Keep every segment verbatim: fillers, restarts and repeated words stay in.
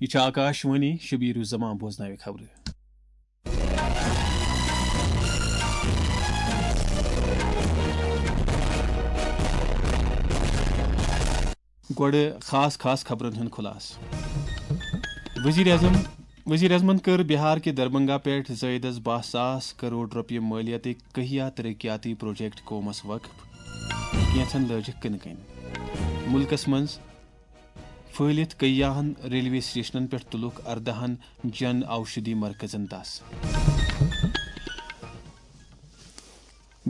یہِ چھِ آکاش وانی، شبیر الزمان بوزناوِ خبرٕ۔ گۄڈٕ خاص خاص خبرن ہُنٛد خُلاصہٕ۔ وزیر اعظم وزیر اعظمن کٔر بہار کہِ دربنگا پٮ۪ٹھ زٲیدس باہ ساس کرور رۄپیہِ مٲلیتٕکۍ کٔہیا ترقیاتی پروجیکٹ قومس وقف، کینٛژن لٲجِکھ کٕنہٕ کنہِ۔ مُلکس منٛز پھٔہلِتھ کٔیاہن ریلوے سٹیشنن پٮ۪ٹھ تُلُکھ ارداہن جن اوشدھی مرکزن دس۔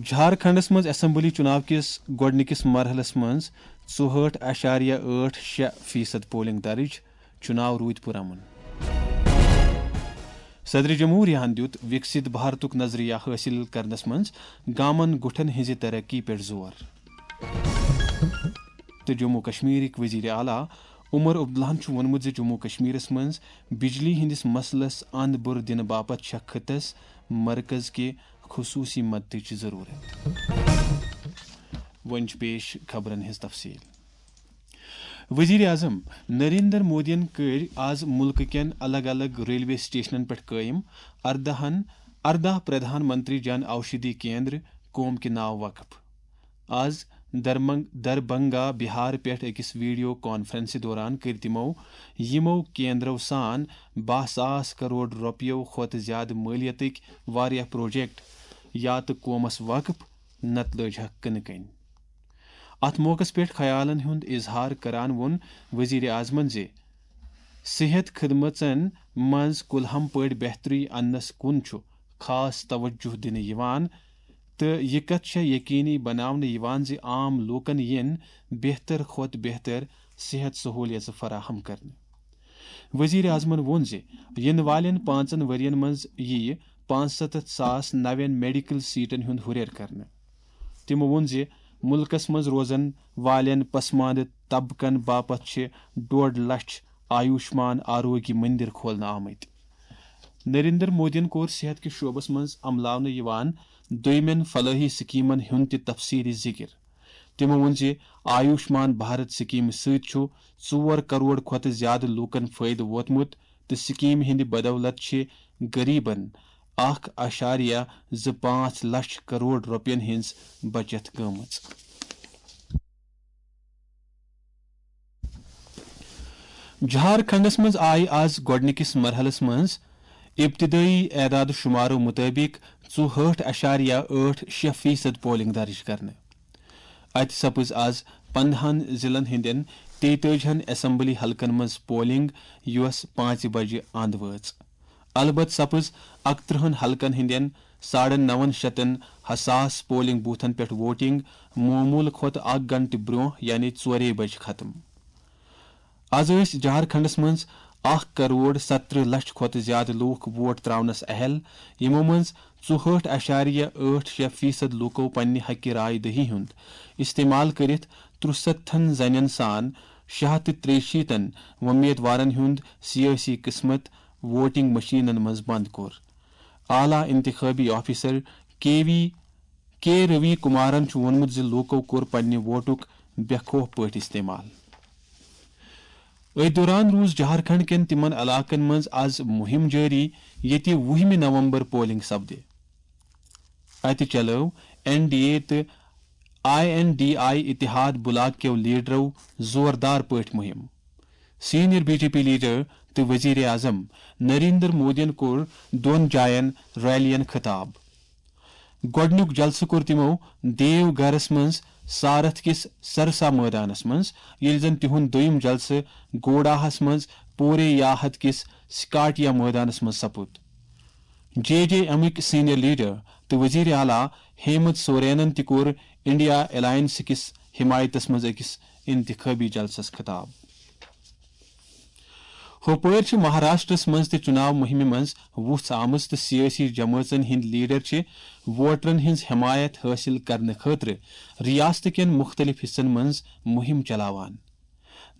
جھارکھنڈس منٛز اسمبلی چُناو کِس گۄڈٕنِکِس مرحلس منٛز ژُہٲٹھ اعشاریہ ٲٹھ شےٚ فیصد پولنگ درٕج، چُناو روٗدۍ پُرامن۔ صدر جمہوریہن دیُت وِکسِت بھارتُک نظریہ حٲصِل کرنس منٛز گامن گُٹھن ہٕنٛزِ ترقی پٮ۪ٹھ زور۔ تہٕ جموں کشمیرٕکۍ وزیر اعلیٰ عمر عبداللہن چھُ ووٚنمُت زِ جموں کشمیرس منٛز بجلی ہٕنٛدِس مسلس اند بُر دِنہٕ باپتھ چھےٚ خطس مرکز کہِ خصوٗصی مدتٕچ ضروٗرت۔ وۄنۍ چھِ پیش خبرن ہٕنٛز تفصیل۔ وزیر اعظم نریندر مودیَن کٔرۍ آز مُلکہٕ کٮ۪ن الگ الگ ریلوے سٹیشنن پٮ۪ٹھ قٲیِم ارداہن ارداہ پردھان منتری جن اوشدھی کیندر قوم کہِ ناو وقف۔ آز درمنگ دربنگا بہار پٮ۪ٹھ أکِس ویڈیو کانفرنسہِ دوران کٔرۍ تِمو یِمو کیندرو سان باہ ساس کرور رۄپیو کھۄتہٕ زیادٕ مٲلیتٕکۍ واریاہ پروجیکٹ یا تہٕ قومس وقف، نتہٕ لٲجہکھ کٕنہٕ کنۍ۔ اتھ موقعس پٮ۪ٹھ خیالن ہُنٛد اظہار کران ووٚن وزیر اعظمن زِ صحت خدمژن منٛز کُلہم پٲٹھۍ بہتری اننس کُن چھُ خاص توجہ دِنہٕ یِوان تہٕ یہِ کتھ چھےٚ یقینی بناونہٕ یِوان زِ عام لوٗکن یِن بہتر کھۄتہٕ بہتر صحت سہولیژٕ فراہم کرنہٕ۔ وزیر اعظمن ووٚن زِ یِنہٕ والٮ۪ن پانٛژن ؤرین منٛز یِیہِ پانٛژستتھ ساس نوٮ۪ن میڈیکل سیٹن ہُنٛد ہُرٮ۪ر کرنہٕ۔ تِمو ووٚن زِ مُلکَس منٛز روزَن والٮ۪ن پسماندٕ طبقن باپتھ چھِ ڈۄڈ لچھ آیوشمان آروگیہ مندر کھولنہٕ آمٕتۍ۔ نریندر مودیَن کوٚر صحت کِس شعبَس منٛز عملاونہٕ یِوان دوٚیمٮ۪ن فلٲحی سکیمَن ہُنٛد تہِ تفصیٖلی ذِکِر۔ تِمو ووٚن زِ آیوشمان بھارت سکیمہِ سۭتۍ چھُ ژور کرور کھۄتہٕ زِیٛادٕ لوٗکَن فٲیدٕ ووتمُت تہٕ سکیمہِ ہٕنٛدِ بدولت چھِ غریبن اکھ اعشاریہ زٕ پانٛژھ لچھ کرور رۄپین ہٕنٛز بچت گٔمٕژ۔ جھارکھنڈس منٛز آیہِ آز گۄڈٕنِکِس مرحلس منٛز ابتدٲئی اعداد و شمارو مُطٲبِق ژُہٲٹھ اعشاریہ ٲٹھ شےٚ فیصد پولنگ درج کرنہٕ۔ اتہِ سپٕز آز پندہن ضلعن ہٕنٛدٮ۪ن تیتٲجہن اسمبلی حلقن منٛز پولنگ، یۄس پانٛژِ بجہِ اند وٲژ۔ البتہ سپٕز اکترٕہن حلقن ہٕنٛدٮ۪ن ساڑن نون شتن حساس پولنگ بوتھن پٮ۪ٹھ ووٹنگ معموٗلہٕ کھۄتہٕ اکھ گھنٹہٕ برٛونٛہہ، یعنی ژورے بجہِ ختم۔ از ٲسۍ جھارکھنڈس منٛز اکھ کرور سترٕہ لچھ کھۄتہٕ زیادٕ لوٗکھ ووٹ تراونس اہل، یِمو منٛز ژُہٲٹھ اعشاریہ ٲٹھ شےٚ فیصد لوٗکو پننہِ حقہِ راے دہی ہُنٛد استعمال کٔرِتھ ترُستتھن زنٮ۪ن سان شےٚ ہتھ تہٕ ترٛیہِ شیٖتن وۄمیدوارن ہُنٛد سیٲسی قسمت ووٹنگ مشینن منٛز بنٛد کوٚر۔ اعلیٰ انتخابی آفیسر کے وی کے روی کمارن چھُ ووٚنمُت زِ لوٗکو کوٚر پننہِ ووٹُک بے خوف پٲٹھۍ استعمال۔ أتھۍ دوران روٗز جھارکھنڈ کٮ۪ن تِمن علاقن منٛز از مُہِم جٲری، ییٚتہِ وُہمہِ نومبر پولنگ سپدِ۔ اتہِ چلٲو این ڈی اے تہٕ آئی این ڈی آئی اتحاد بلاک کیو لیڈرو زوردار پٲٹھۍ مُہِم۔ Senior B J P leader تہٕ وزیر اعظم نریندر مودیَن کوٚر دۄن جاین ریلین خطاب۔ گۄڈٕنیُک جلسہٕ کوٚر تِمو دیو گھرس منٛز سارتھ کِس سرسا مٲدانس منٛز، ییٚلہِ زن تِہُنٛد دوٚیُم جلسہٕ گوڈاہس منٛز پورے یاہت کِس سکاٹیا مٲدانس منٛز سپُد۔ جے جے ایمٕکۍ سینئر لیڈر تہٕ وزیر اعلیٰ ہیمنت سورینن تہِ کوٚر انڈیا الائنس کِس حمایتس منٛز أکِس انتخابی جلسس خطاب۔ ہوپٲرۍ چھِ مہاراشٹرس منٛز تہِ چُناو مُہِمہِ منٛز وُژھ آمٕژ تہٕ سیٲسی جمٲژن ہٕنٛدۍ لیڈر چھِ ووٹرن ہٕنٛز حمایت حٲصِل کرنہٕ خٲطرٕ ریاست کٮ۪ن مُختٔلِف حصن منٛز مُہِم چلاوان۔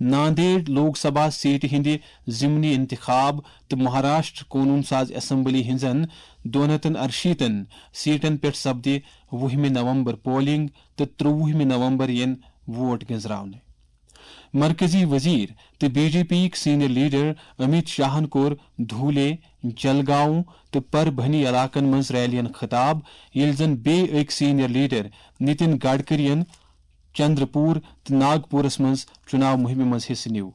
ناندیڑ لوک سبھا سیٹہِ ہٕنٛدِ ضمنی انتخاب تہٕ مہاراشٹر قونوٗن ساز اسمبلی ہٕنٛزن دۄن ہتن ارشیٖتن سیٹن پٮ۪ٹھ سپدِ وُہمہِ نومبر پولنگ تہٕ ترٛۆوُہمہِ نومبر یِن ووٹ گنزراونہٕ۔ مرکزی وزیر تہٕ بی جے پی یِک سینئر لیڈر امیت شاہن کوٚر دھولے، جلگاؤں تہٕ پربھنی علاقن منٛز ریلین خطاب، ییٚلہِ زن بیٚیہِ أکۍ سینئر لیڈر نتن گڈکرین چندرپور تہٕ ناگپورس منٛز چُناو مُہِمہِ منٛز حصہٕ نیوٗ۔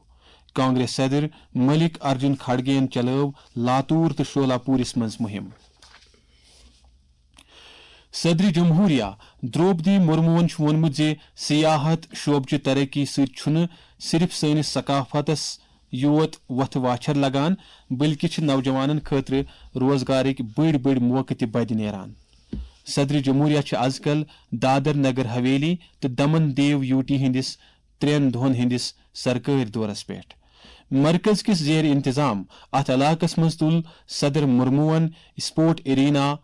کانگریس صدر ملک ارجن کھڑگے یَن چلٲو لاتور تہٕ شولاپورس منٛز مُہِم۔ صدر جمہوریہ درٛوپدی مرموہن چھُ ووٚنمُت زِ سیاحت شعبہٕ چہِ ترقی سۭتۍ چھُنہٕ صرف سٲنِس ثقافتس یوت وۄتھٕ واچھر لگان، بلکہِ چھِ نوجوانن خٲطرٕ روزگارٕکۍ بٔڑۍ بٔڑۍ موقعہٕ تہِ بدِ نیران۔ صدر جمہوریہ چھِ از کل دادر نگر حویلی تہٕ دمن دیو یوٗٹی ہٕنٛدِس ترٛٮ۪ن دۄہن ہٕنٛدِس سرکٲرۍ دورس پٮ۪ٹھ۔ مرکز کِس زیر انتظام اتھ علاقس منٛز تُل صدر مرموہن اسپورٹ ارینا،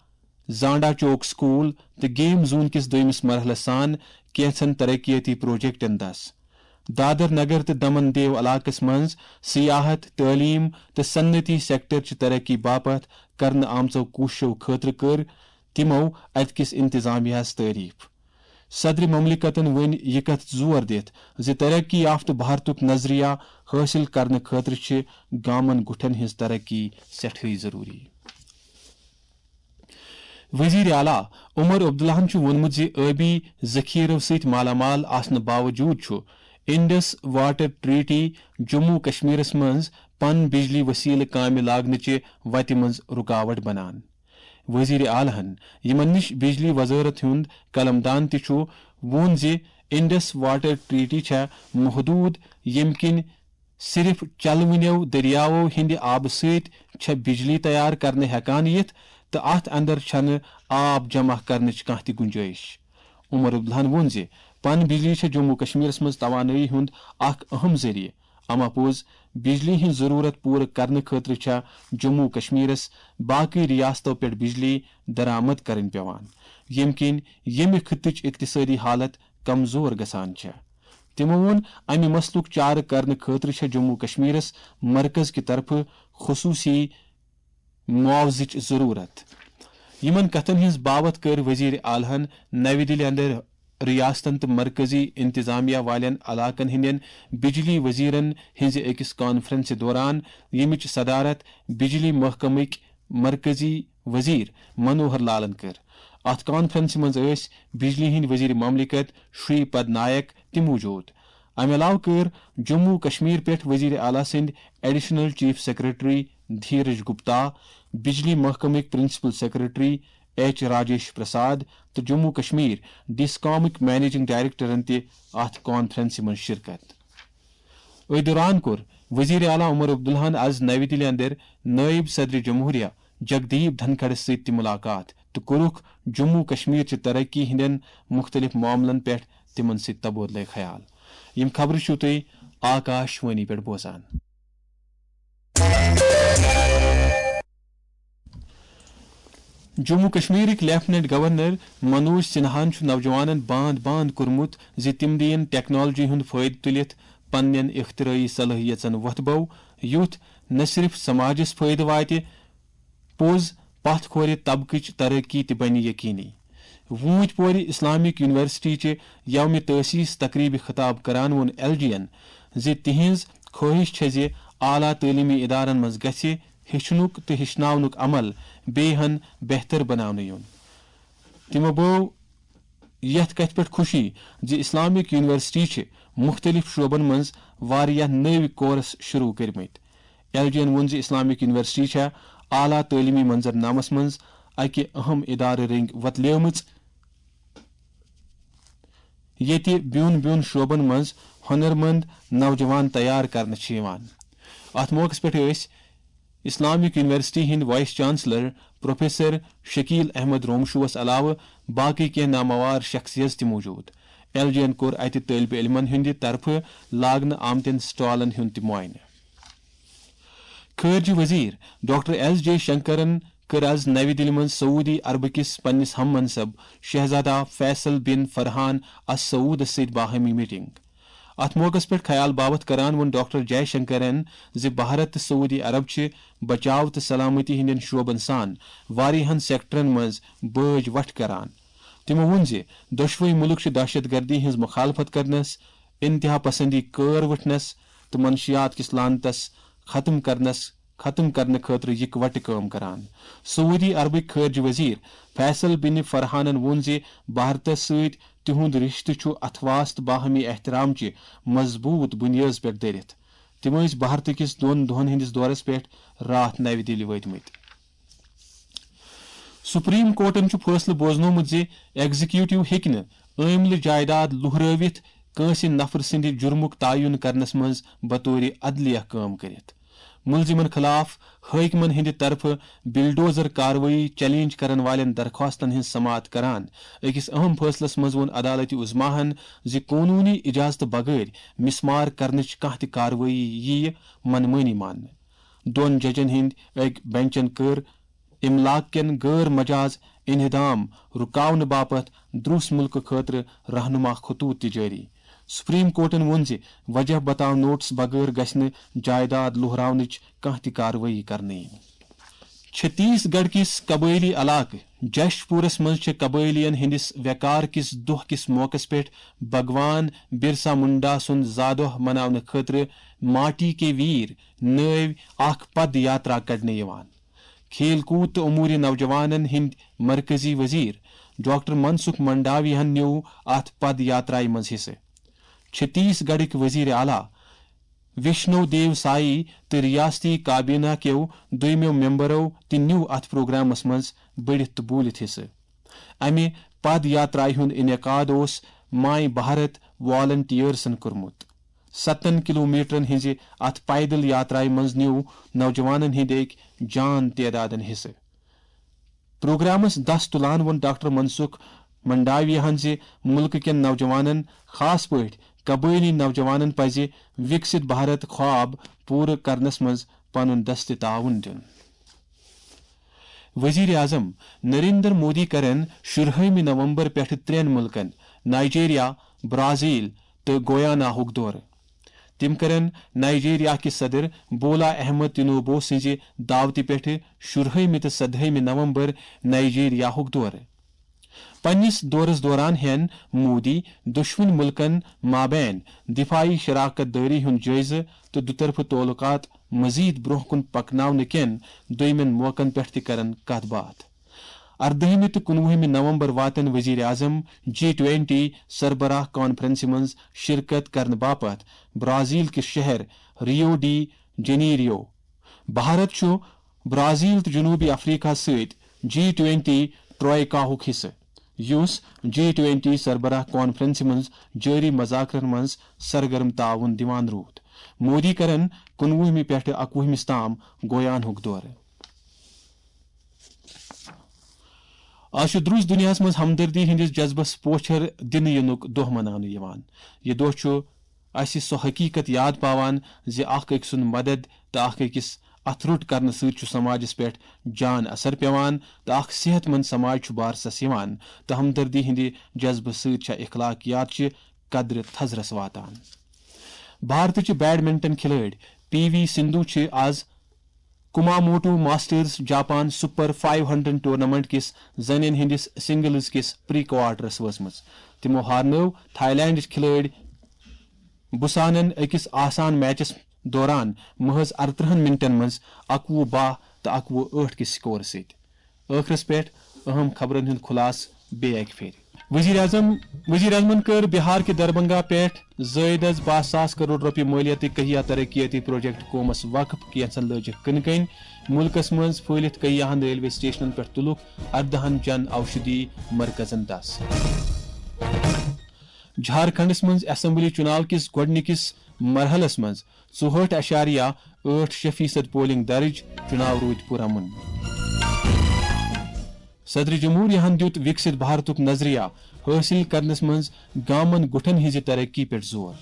زانڈا چوک سکول تہٕ گیم زون کِس دوٚیمِس مرحلس سان کینٛژن ترقیتی پروجیکٹن دس۔ دادر نگر تہٕ دمن دیو علاقس منٛز سیاحت، تعلیم تہٕ صنعتی سیکٹر چہِ ترقی باپتھ کرنہٕ آمژو کوٗششو خٲطرٕ کٔر تِمو اتہِ کِس انتظامیہ ہس تعریف۔ صدر مملکتن ؤنۍ یہِ کتھ زور دِتھ زِ ترقی یافتہٕ بھارتُک نظریہ حٲصِل کرنہٕ خٲطرٕ چھِ گامن گُٹھن ہٕنٛز ترقی سٮ۪ٹھٕے ضروٗری۔ وزیر اعلیٰ عمر عبداللہن چھُ ووٚنمُت زِ ٲبی ذخیرو سۭتۍ مالا مال آسنہٕ باوجوٗد چھُ انڈس واٹر ٹریٹی جموں کشمیرس منٛز پن بجلی وسیلہٕ کامہِ لاگنٕچہِ وتہِ منٛز رُکاوٹ بنان۔ وزیر اعلیٰ ہن، یِمن نِش بجلی وزارت ہُنٛد قلمدان تہِ چھُ، ووٚن زِ انڈس واٹر ٹریٹی چھےٚ محدوٗد، ییٚمہِ کِنۍ صرف چلوٕنیو دٔریاوو ہٕنٛدِ آبہٕ سۭتۍ چھےٚ بجلی تیار کرنہٕ ہٮ۪کان یِتھ تہٕ اتھ اندر چھنہٕ آب جمع کرنٕچ کانٛہہ تہِ گُنجٲیِش۔ عمر عبداللہن ووٚن زِ پن بجلی چھےٚ جموں کشمیرس منٛز توانٲیی ہُنٛد اکھ اہم ذٔریعہٕ، اما پوٚز بجلی ہٕنٛز ضروٗرت پوٗرٕ کرنہٕ خٲطرٕ چھےٚ جموں کشمیرس باقٕے ریاستو پٮ۪ٹھ بجلی درآمد کرٕنۍ پٮ۪وان، ییٚمہِ کِنۍ ییٚمہِ خطٕچ اقتصٲدی حالت کمزور گژھان چھےٚ۔ تِمو ووٚن، امہِ مسلُک چارٕ کرنہٕ خٲطرٕ چھےٚ جموں کشمیرس مرکز کہِ طرفہٕ خصوٗصی معاوضٕچ ضروٗرت۔ یِمن کتھن ہٕنٛز باوتھ کٔر وزیر اعلیٰ ہن نَوِ دِلہِ اندر ریاستن تہٕ مرکزی انتظامیہ والٮ۪ن علاقن ہٕنٛدٮ۪ن بجلی وزیرن ہٕنٛزِ أکِس کانفرنسہِ دوران، ییٚمِچ صدارت بجلی محکمٕکۍ مرکزی وزیر منوہر لالن کٔر۔ اتھ کانفرنسہِ منٛز ٲسۍ بجلی ہٕنٛدۍ وزیر مملکت شری پد نائک تہِ موجود۔ امہِ علاوٕ کٔر جموں کشمیر پٮ۪ٹھ وزیر اعلیٰ سٕنٛدۍ additional chief secretary Dheeraj Gupta, بجلی محکمٕکۍ principal secretary H Rajesh Prasad تہٕ جموں کشمیر ڈسکامٕکۍ منیجنگ ڈائریکٹرن تہِ اتھ کانفرنسہِ منٛز شرکت۔ أتھۍ دوران کوٚر وزیر اعلیٰ عمر عبداللہن از نَوِ دِلہِ اندر نائب صدر جمہوریہ جگدیپ دھنکھڑس سۭتۍ تہِ ملاقات تہٕ کوٚرُکھ جموں کشمیر چہِ ترقی ہٕنٛدٮ۪ن مُختٔلِف معاملن پٮ۪ٹھ تِمن سۭتۍ تبادلہٕ خیال۔ یِم خبرٕ چھِو تُہۍ آکاش وانی پٮ۪ٹھ بوزان۔ جموں کشمیرٕکۍ لیفٹیننٹ گورنر منوج سنہاہن چھُ نوجوانن باند باند کوٚرمُت زِ تِم دِیِن ٹیکنالوجی ہُنٛد فٲیدٕ تُلِتھ پننٮ۪ن اختراعی صلٲحیژن وۄتھٕ بو، یُتھ نہ صرف سماجس فٲیدٕ واتہِ، پوٚز پتھ کھورِ طبقٕچ ترقی تہِ بنہِ یقینی۔ ووٗنٛتۍ پورِ اسلامک یونیورسٹی چہِ یوم تاسیس تقریبہِ خطاب کران ووٚن ایل جی ین زِ تِہنٛز خٲہِش چھےٚ زِ اعلیٰ تعلیمی ادارن منٛز گژھِ ہیٚچھنُک تہٕ ہیٚچھناونُک عمل بیٚیہِ ہن بہتر بناونہٕ یُن۔ تِمو بٲو یتھ کتھِ پٮ۪ٹھ خوشی زِ اسلامک یونیورسٹی چھِ مُختٔلِف شعبن منٛز واریاہ نٔوۍ کورس شروع کٔرمٕتۍ۔ ایل جی ین ووٚن زِ اسلامک یونیورسٹی چھےٚ اعلیٰ تعلیمی منظرنامس منٛز اکہِ اہم ادارٕ رٔنگۍ وۄتلیمٕژ، ییٚتہِ بیوٚن بیوٚن شعبن منٛز ہۄنرمند نوجوان تیار کرنہٕ چھِ یِوان۔ اتھ موقعس پٮ۪ٹھ ٲسۍ اسلامک یونیورسٹی ہٕنٛدۍ vice chancellor professor Shakeel Ahmad رومشوس علاوٕ باقٕے کینٛہہ ناماوار شخصیژ تہِ موجود۔ ایل جی ین کوٚر اتہِ طٲلبہِ علمن ہٕنٛدِ طرفہٕ لاگنہٕ آمتٮ۪ن سٹالن ہُنٛد تہِ معائنہٕ۔ خارجہ وزیر ڈاکٹر ایس جے شنکرن کٔر از نَوِ دِلہِ منٛز سعودی عربہٕ کِس پننِس ہم منصب شہزادہ فیصل بن فرحان السعودس سۭتۍ باہمی میٹنگ۔ اتھ موقعس پٮ۪ٹھ خیال باوتھ کران ووٚن ڈاکٹر جے شنکرن زِ بھارت تہٕ سعودی عرب چھِ بچاو تہٕ سلامتی ہٕنٛدٮ۪ن شعبن سان واریاہن سیکٹرن منٛز بٲج وٹھ کران۔ تِمو ووٚن زِ دۄشوے مُلک چھِ دہشت گردی ہٕنٛز مخالفت کرنس انتہا پسندی کٲر وٹھنس تہٕ منشیات کِس لعنتس ختم کرنس ختم کرنہٕ خٲطرٕ یکوٹہٕ کٲم کران۔ سعودی عربٕکۍ خارجہ وزیر فیصل بن فرحانن ووٚن زِ بھارتس سۭتۍ تِہُنٛد رشتہٕ چھُ اتھواس تہٕ باہمی احترام چہِ مضبوط بنیٲژ پٮ۪ٹھ دٔرِتھ۔ تِم ٲسۍ بھارتہٕ کِس دۄن دۄہن ہٕنٛدِس دورس پٮ۪ٹھ راتھ نوِ دِلہِ وٲتمٕتۍ۔ سپریم کورٹن چھُ فٲصلہٕ بوزنومُت زِ ایگزیکیوٹو ہیٚکہِ نہٕ عٲملہٕ جائیداد لوہرٲوِتھ کٲنٛسہِ نفرٕ سٕنٛدِ جُرمُک تعین کرنس منٛز بطور عدلیہ کٲم کٔرِتھ۔ مُلزِمن خٕلاف حٲکمن ہٕنٛدِ طرفہٕ بلڈوزر کاروٲیی چیلنج کرن والٮ۪ن درخواستن ہٕنٛز سماعت کران أکِس اہم فٲصلس منٛز ووٚن عدالتِ عظمیٰ ہن زِ قونوٗنی اجازتہٕ بغٲر مسمار کرنٕچ کانٛہہ تہِ کاروٲیی یِیہِ من مٲنی ماننہٕ۔ دۄن ججن ہٕنٛدۍ أکۍ بنچن کٔر املاک کٮ۪ن غٲر مجاز انہدام رُکاونہٕ باپتھ دروس مُلکہٕ خٲطرٕ رہنما خطوط تہِ جٲری۔ سپریم کورٹن ووٚن زِ وجہ بتاو نوٹس بغٲر گژھِ نہٕ جائیداد لوہراونٕچ کانٛہہ تہِ کاروٲیی کرنہٕ یِنۍ۔ چھتیس گڑھ کِس قبٲئلی علاقہٕ جیش پورس منٛز چھِ قبٲئلیَن ہٕنٛدِس وقار کِس دۄہ کِس موقعس پٮ۪ٹھ بھگوان برسا منڈا سُنٛد زا دۄہ مناونہٕ خٲطرٕ ماٹی کے ویر نٲوۍ اکھ پد یاترا کڑنہٕ یِوان۔ کھیل کوٗد تہٕ امور نوجوانن ہٕنٛدۍ مرکزی وزیر ڈاکٹر منسکھ منڈاوی ہن نیوٗو اتھ پد یاترایہِ منٛز حصہٕ۔ چھتیس گڑھٕکۍ وزیر اعلیٰ وشنو دیو سائی تہٕ ریاستی کابینہ کیو دویمو ممبرو تہِ نیوٗو اتھ پروگرامس منٛز بٔڑِتھ تہٕ بوٗلِتھ حصہٕ۔ امہِ پد یاترایہِ ہُنٛد انعقاد اوس ماے بھارت والنٹیئرسن کوٚرمُت۔ ستن کلومیٹرن ہٕنٛزِ اتھ پیدل یاترایہِ منٛز نیوٗو نوجوانن ہٕنٛدۍ أکۍ جان تعدادن حصہٕ۔ پروگرامس دس تُلان ووٚن ڈاکٹر منسکھ منڈاوی ہن زِ مُلکہٕ کٮ۪ن نوجوانن، خاص پٲٹھۍ قبٲئلی نوجوانن، پزِ وکست بھارت خواب پوٗرٕ کرنس منٛز پنُن دستہِ تعاون دیُن۔ وزیر اعظم نریندر مودی کرن شُرہٲیمہِ نومبر پٮ۪ٹھٕ ترٛٮ۪ن مُلکن نائیجیریا، برازیل تہٕ گویانا ہُک دورٕ۔ تِم کرن نائیجیریا کِس صدر بولا احمد تنوبو سٕنٛزِ دعوتہِ پٮ۪ٹھٕ شُرہٲیمہِ تہٕ سدہٲیمہِ نومبر نائیجیریا ہُک دورٕ۔ پننِس دورس دوران ہٮ۪ن مودی دۄشوٕنۍ مُلکن مابین دفاعی شراکت دٲری ہُنٛد جٲیزٕ تہٕ دُطرفہٕ تعلقات مزید برونٛہہ کُن پکناونہٕ کٮ۪ن دوٚیمٮ۪ن موقعن پٮ۪ٹھ تہِ کرن کتھ باتھ۔ اردٲہمہِ تہٕ کُنوُہمہِ نومبر واتن وزیر اعظم جی ٹوینٹی سربراہ کانفرنسہِ منٛز شرکت کرنہٕ باپتھ برازیل کِس شہر ریو ڈی جنیریو۔ بھارت چھُ برازیل تہٕ جنوبی افریقہ سۭتۍ جی ٹوینٹی ٹروئیکاہُک حصہٕ، یُس جی ٹوینٹی سربراہ کانفرنسہِ منٛز جٲری مذاکرن منٛز سرگرم تعاون دِوان روٗد۔ مودی کرن کُنوُہمہِ پٮ۪ٹھٕ اکوُہمِس تام گویانہُک دورٕ۔ آز چھُ درٛوس دُنیاہَس منٛز ہمدردی ہٕنٛدِس جذبس پوچھر دِنہٕ یِنُک دۄہ مناونہٕ یِوان۔ یہِ دۄہ چھُ اسہِ سۄ حقیقت یاد پاوان زِ اکھ أکۍ سُنٛد مدد تہٕ اکھ أکِس اتھٕ روٚٹ کرنہٕ سۭتۍ چھُ سماجس پٮ۪ٹھ جان اثر پٮ۪وان تہٕ اکھ صحت مند سماج چھُ بارسس یِوان تہٕ ہمدردی ہٕنٛدِ جذبہٕ سۭتۍ چھےٚ اخلاقیات چہِ قدرِ تھزرس واتان۔ بھارتٕچہِ بیڈمنٹن کھلٲڑۍ پی وی سندھو چھِ آز Kumamoto masters Japan super five hundred tournament کِس زنٮ۪ن ہٕنٛدِس سنگلز کِس پری کوارٹرس وٲژمٕژ۔ تِمو ہارنٲو تھائی لینڈٕچ کھلٲڑۍ بُسانن أکِس آسان میچس دوران محض ارترٕہن منٹن منٛز اکوُہ باہ تہٕ اکوُہ ٲٹھ کِس سکورٕ سۭتۍ۔ ٲخرس پٮ۪ٹھ اہم خبرن ہُنٛد خلاصہٕ بیٚیہِ اکہِ پھِرِ۔ وزیر اعظم وزیر اعظمن کٔر بہار کہِ دربھنگہ پٮ۪ٹھ زٲیدس باہ ساس کرور رۄپیہِ مٲلیتٕکۍ کہیا ترقیتی پروجیکٹ قومس وقف، کینژن لٲجِکھ کٕنہٕ کنۍ۔ مُلکس منٛز پھٔہلِتھ کہیاہن ریلوے سٹیشنن پٮ۪ٹھ تُلُکھ اردہن جن اوشدھی مرکزن دس۔ جھارکھنڈس منٛز اسمبلی چُناو کِس گۄڈٕنِکِس مرحلس منٛز ژُہٲٹھ اعشاریہ ٲٹھ شےٚ فیصد پولنگ درٕج، چُناو روٗدۍ پُرامن۔ صدر جمہوریہ ہن دیُت وِکسِت بھارتُک نظریہ حٲصِل کرنس منٛز گامن گُٹھن ہٕنٛزِ ترقی پٮ۪ٹھ زور۔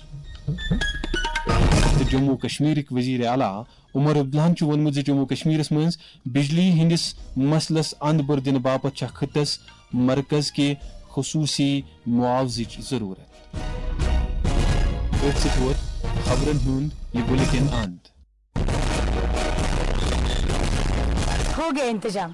تہٕ جموں کشمیرٕکۍ وزیر اعلیٰ عمر عبداللہن چھُ ووٚنمُت زِ جموں کشمیرس منٛز بجلی ہٕنٛدِس مسلس اند بٔر دِنہٕ باپتھ چھےٚ خطس مرکز کہِ خصوٗصی معاوضٕچ ضروٗرت۔ أتھۍ سۭتۍ ووت خبرن ہُنٛد یہِ بُلٹن اند۔ ہو گیا انتظام۔